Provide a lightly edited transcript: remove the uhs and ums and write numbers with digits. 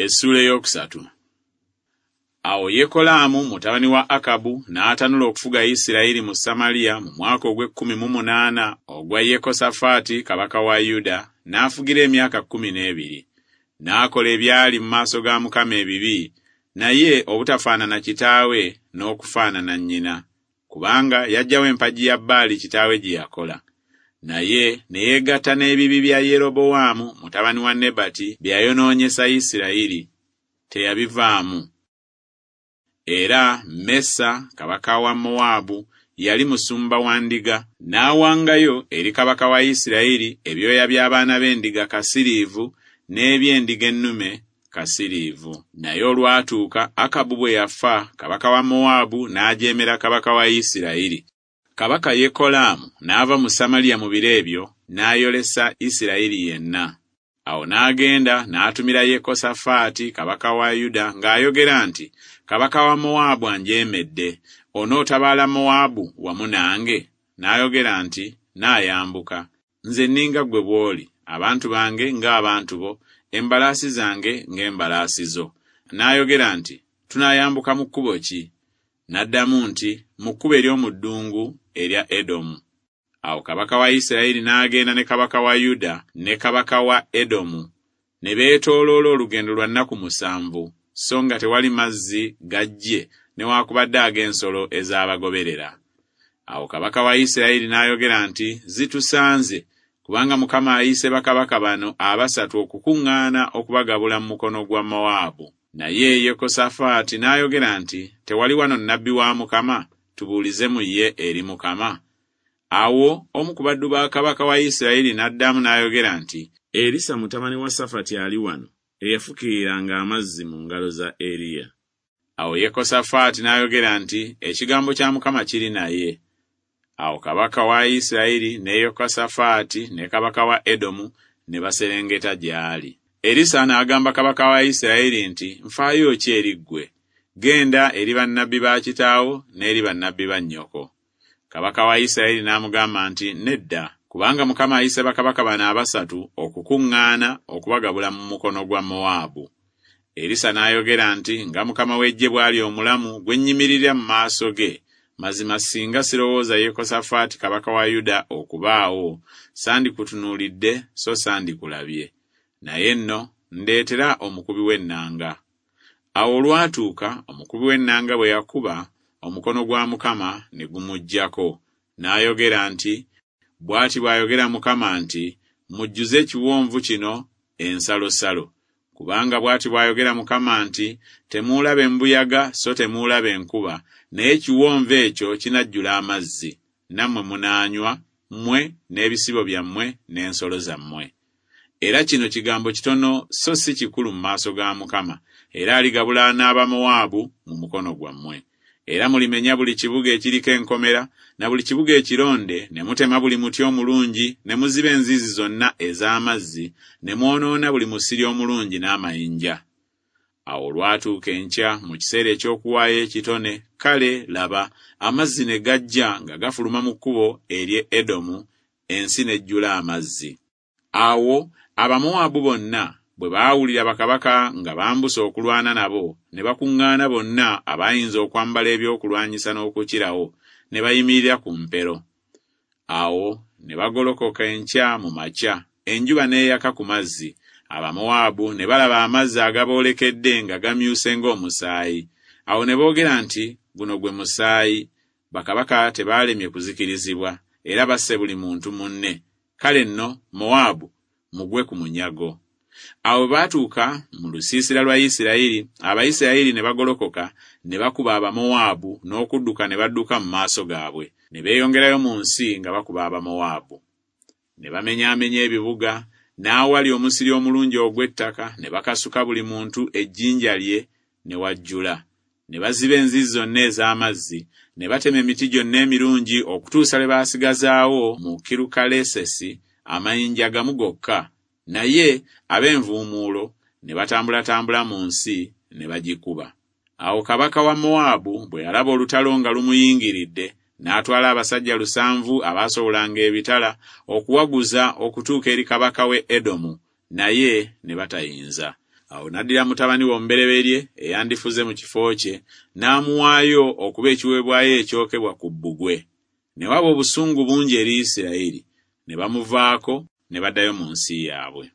Essuula ey'okusatu. Awo Yekolaamu mutabani wa Akabu n'atanula okufuga Isirayiri mu Samaliya mu mwaka ogw'ekkumi mu munaana ogwa Yekosafaati kabaka wa Yuda, n'afugira emyaka 12. N'akola ebyali mu maaso ga Mukama ebibi, naye obutafaanana kitaawe n'okufaanana nnyina, kubanga yaggyawo empagi ya Baali kitaawe gye yakola. Naye ne yeegatta n'ebibi bya Yerobowaamu mutabani wa Nebati bye yayonoonyesa Isirayiri, teyabivaamu. Era Mesa kabaka wa Mowaabu yali musumba wa ndiga, n'awangayo eri kabaka wa Isirayiri ebyoya by'abaana b'endiga kasiriivu n'eby'endiga ennume kasiriivu. Naye olwatuuka Akabu bwe yafa, kabaka wa Mowaabu n'ajeemera kabaka wa Isirayiri. Kabaka Yekolaamu n'ava mu Samaliya mu biro ebyo, n'ayolesa Isirayiri yenna. Awo n'agenda n'atumira Yekosafaati kabaka wa Yuda ng'ayogera nti, Kabaka wa Mowaabu anjeemedde, onootabaala Mowaabu wamu nange? N'ayogera nti, Nnaayambuka. Nze nninga ggwe bw'oli, abantu bange ng'abantu bo, embalaasi zange ng'embalaasi zo. N'ayogera nti, Tunaayambuka mu kkubo ki? N'addamu nti, Mu kkubo ery'omu ddungu erya Edomu. Awo kabaka wa Isirayiri n'agenda ne kabaka wa Yuda ne kabaka wa Edomu, ne beetooloola olugendo lwa nnaku 7, so nga tewali mazzi ga ggye newaakubadde ag'ensolo ezaabagoberera. Awo kabaka wa Isirayiri n'ayogera nti, Zitusanze, kubanga Mukama ayise bakabaka bano abasatu okukuŋŋaana okubagabula mu mukono gwa Mowaabu. Naye Yekosafaati n'ayogera nti, Tewali wano nnabbi wa Mukama, tubuulize mu ye eri Mukama? Awo omu ku baddu ba kabaka wa Isirayiri n'addamu n'ayogera nti, Erisa mutabani wa Safati ali wano, eyafukiriranga amazzi mu ngalo za Eriya. Awo Yekosafaati n'ayogera nti, Ekigambo kya Mukama kiri naye. Awo kabaka wa Isirayiri ne Yekosafaati ne kabaka wa Edomu ne baserengeta gy'ali. Erisa n'agamba kabaka wa Isirayiri nti, Nfaayo ki eri ggwe? Genda eri bannabbi ba kitaawo n'eri bannabbi ba nnyoko. Kabaka wa Isirayiri n'amugamba nti, Nedda, kubanga Mukama ayise bakabaka bano abasatu okukuŋŋaana okubagabula mu mukono gwa Mowaabu. Erisa n'ayogera nti, Nga Mukama w'eggye bw'ali omulamu gwe nnyimirira mu maaso ge, mazima singa sirowooza Yekosafaati kabaka wa Yuda okubaawo, sandikutunuulidde so sandikulabye. Naye nno ndeetera omukubi w'ennanga. Awo olwatuuka omukubi w'ennanga bwe yakuba, omukono gwa Mukama ne gumuggyako, n'ayogera nti, Bw'ati bw'ayogera Mukama nti, Mujjuze ekiwonvu kino ensalosalo. Kubanga bw'ati bw'ayogera Mukama nti, Temuulabe mbuyaga so temuulabe nkuba, naye ekiwonvu ekyo kinajjula amazzi, nammwe munaanywa, mmwe n'ebisibo byammwe n'ensolo zammwe. Era kino kigambo kitono so si kikulu mu maaso ga Mukama, era aligabula n'Abamowaabu mu mukono gwammwe. Era mulimenya buli kibuga ekiriko enkomera, na buli kibuga ekironde, ne mutema buli muti omulungi, ne muziba enzizi zonna ez'amazzi, ne mwonoona buli musiri omulungi n'amayinja. Awo olwatuuka enkya mu kiseera eky'okuwaayo ekitone, kale, laba, amazzi ne gajja nga gafuluma mu kkubo ery'e Edomu, ensi n'ejjula amazzi. Awo Abamowaabu bonna bwe baawulira bakabaka nga bambuse okulwana nabo, ne bakuŋŋaana bonna abaayinza okwambala ebyokulwanyisa n'okukirawo, ne bayimirira ku mpero. Awo ne bagolokoka enkya mu makya, enjuba n'eyaka ku mazzi, Abamowaabu ne balaba amazzi agaboolekedde nga gamyuse ng'omusaayi. Awo ne boogera nti, Guno gwe musaayi! Bakabaka tebaalemye kuzikirizibwa, era basse buli muntu munne. Kale nno, Mowaabu mugwe ku munyago. Awo bwe baatuuka mu lusiisira lwa Isirayiri, Abayisirayiri ne bagolokoka ne bakuba Abamowaabu n'okudduka ne badduka mu maaso gaabwe, ne beeyongerayo mu nsi nga bakuba Abamowaabu. Ne bamenyaamenya ebibuga, n'awali omusiri omulungi ogw'ettaka ne bakasuka buli muntu ejjinja lye ne wajjula. Ne baziba enzizi zonna ez'amazzi, ne batema emiti gyonna emirungi okutuusa lwe baasigazaawo mu Kirukalesesi amayinja gamu gokka, naye ab'envuumuulo ne batambulatambula mu nsi ne bagikuba. Awo kabaka wa Mowaabu bwe yalaba olutalo nga lumuyingiridde, n'atwala abasajja 7 abaasowolanga ebitala okuwaguza okutuuka eri kabaka w'e Edomu, naye ne batayinza. Awo n'addira mutabani we omubereberye eyandifuze mu kifo kye, n'amuwaayo okuba ekiweebwayo ekyokebwa ku bbugwe. Ne waba obusungu bungi eri Isirayiri, ne bamuvaako ne baddayo mu nsi yaabwe.